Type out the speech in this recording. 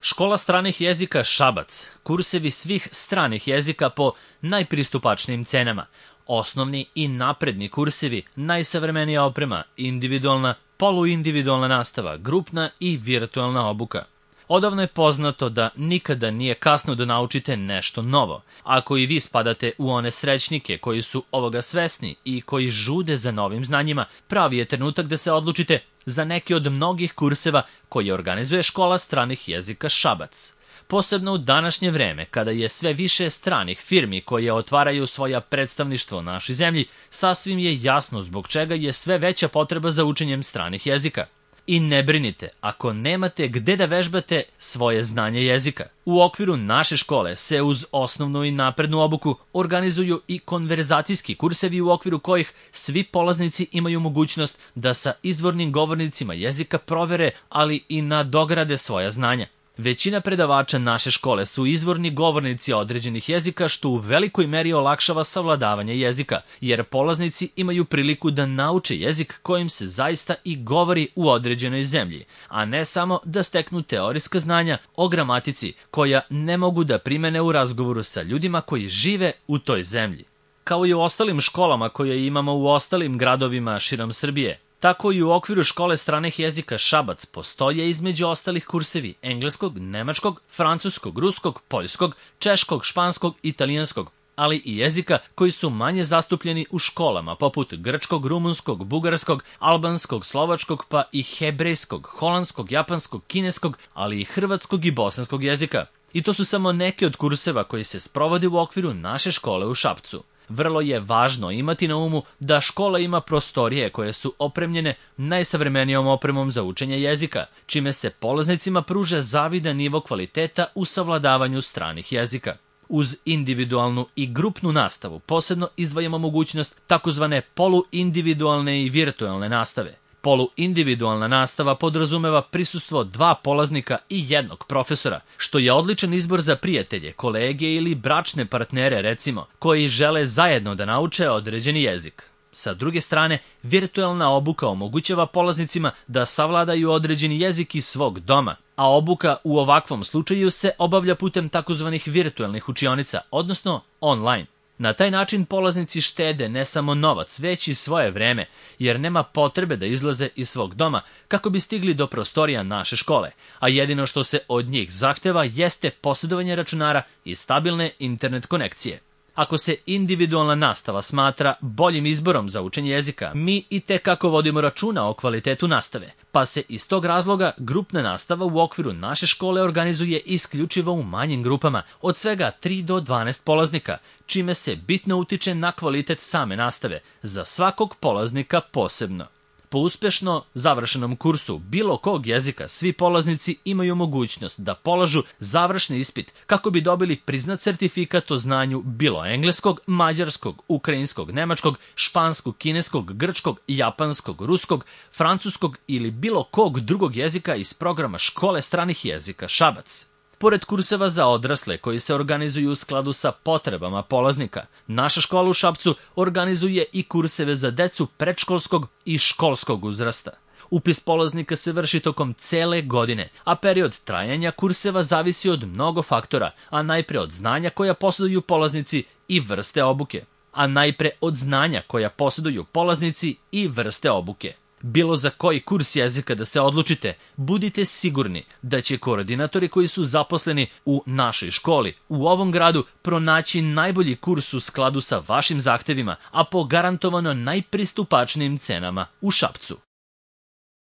Škola stranih jezika Šabac, kursevi svih stranih jezika po najpristupačnijim cenama, osnovni i napredni kursevi, najsavremenija oprema, individualna, poluindividualna nastava, grupna i virtualna obuka. Odavno je poznato da nikada nije kasno da naučite nešto novo. Ako i vi spadate u one srećnike koji su ovoga svesni i koji žude za novim znanjima, pravi je trenutak da se odlučite za neki od mnogih kurseva koje organizuje Škola stranih jezika Šabac. Posebno u današnje vreme, kada je sve više stranih firmi koje otvaraju svoja predstavništva u našoj zemlji, sasvim je jasno zbog čega je sve veća potreba za učenjem stranih jezika. I ne brinite ako nemate gde da vežbate svoje znanje jezika. U okviru naše škole se uz osnovnu i naprednu obuku organizuju i konverzacijski kursevi u okviru kojih svi polaznici imaju mogućnost da sa izvornim govornicima jezika provere, ali i nadograde svoja znanja. Većina predavača naše škole su izvorni govornici određenih jezika, što u velikoj meri olakšava savladavanje jezika, jer polaznici imaju priliku da nauče jezik kojim se zaista i govori u određenoj zemlji, a ne samo da steknu teorijska znanja o gramatici koja ne mogu da primene u razgovoru sa ljudima koji žive u toj zemlji. Kao i u ostalim školama koje imamo u ostalim gradovima širom Srbije, tako i u okviru Škole stranih jezika Šabac postoje između ostalih kursevi engleskog, nemačkog, francuskog, ruskog, poljskog, češkog, španskog, italijanskog, ali i jezika koji su manje zastupljeni u školama poput grčkog, rumunskog, bugarskog, albanskog, slovačkog pa i hebrejskog, holandskog, japanskog, kineskog, ali i hrvatskog i bosanskog jezika. I to su samo neki od kurseva koji se sprovode u okviru naše škole u Šapcu. Vrlo je važno imati na umu da škola ima prostorije koje su opremljene najsavremenijom opremom za učenje jezika, čime se polaznicima pruža zavidan nivo kvaliteta u savladavanju stranih jezika. Uz individualnu i grupnu nastavu posebno izdvajamo mogućnost takozvane poluindividualne i virtualne nastave. Poluindividualna nastava podrazumeva prisustvo 2 polaznika i 1 profesora, što je odličan izbor za prijatelje, kolege ili bračne partnere, recimo, koji žele zajedno da nauče određeni jezik. Sa druge strane, virtualna obuka omogućava polaznicima da savladaju određeni jezik iz svog doma, a obuka u ovakvom slučaju se obavlja putem takozvanih virtualnih učionica, odnosno online. Na taj način polaznici štede ne samo novac, već i svoje vreme, jer nema potrebe da izlaze iz svog doma kako bi stigli do prostorija naše škole, a jedino što se od njih zahteva jeste posjedovanje računara i stabilne internet konekcije. Ako se individualna nastava smatra boljim izborom za učenje jezika, mi i tekako vodimo računa o kvalitetu nastave, pa se iz tog razloga grupna nastava u okviru naše škole organizuje isključivo u manjim grupama, od svega 3 do 12 polaznika, čime se bitno utiče na kvalitet same nastave, za svakog polaznika posebno. Po uspešno završenom kursu bilo kog jezika, svi polaznici imaju mogućnost da polažu završni ispit kako bi dobili priznat sertifikat o znanju bilo engleskog, mađarskog, ukrajinskog, nemačkog, španskog, kineskog, grčkog, japanskog, ruskog, francuskog ili bilo kog drugog jezika iz programa Škole stranih jezika Šabac. Pored kurseva za odrasle koji se organizuju u skladu sa potrebama polaznika, naša škola u Šapcu organizuje i kurseve za decu predškolskog i školskog uzrasta. Upis polaznika se vrši tokom cele godine, a period trajanja kurseva zavisi od mnogo faktora, a najpre od znanja koja posjeduju polaznici i vrste obuke. Bilo za koji kurs jezika da se odlučite, budite sigurni da će koordinatori koji su zaposleni u našoj školi u ovom gradu pronaći najbolji kurs u skladu sa vašim zahtevima, a po garantovano najpristupačnijim cenama u Šapcu.